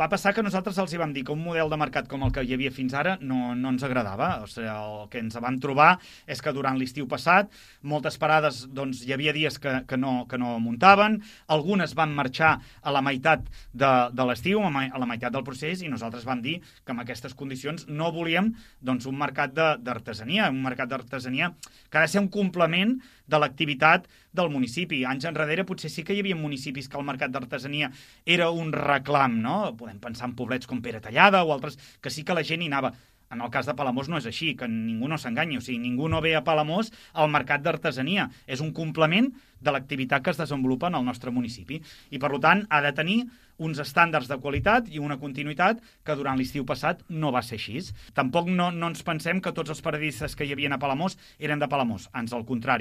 va passar que nosaltres els hi vam dir que un model de mercat com el que hi havia fins ara no ens agradava. O sigui, el que ens vam trobar és que durant l'estiu passat moltes parades doncs, hi havia dies que no muntaven, algunes van marxar a la meitat de l'estiu, a la meitat del procés, i nosaltres vam dir que en aquestes condicions no volíem doncs, un mercat d'artesania, un mercat d'artesania que ha de ser un complement de l'activitat del municipi. Anys enrere potser sí que hi havia municipis que el mercat d'artesania era un reclam, no? Podem pensar en poblets com Pere Tallada o altres, que sí que la gent hi anava. En el cas de Palamós no és així, que ningú no s'enganyi, o sigui, ningú no ve a Palamós al mercat d'artesania. És un complement de l'activitat que es desenvolupa en el nostre municipi. I, per tant, ha de tenir uns estàndards de qualitat i una continuïtat que durant l'estiu passat no va ser així. Tampoc no ens pensem que tots els paradistes que hi havia a Palamós eren de Palamós, ans al contrari.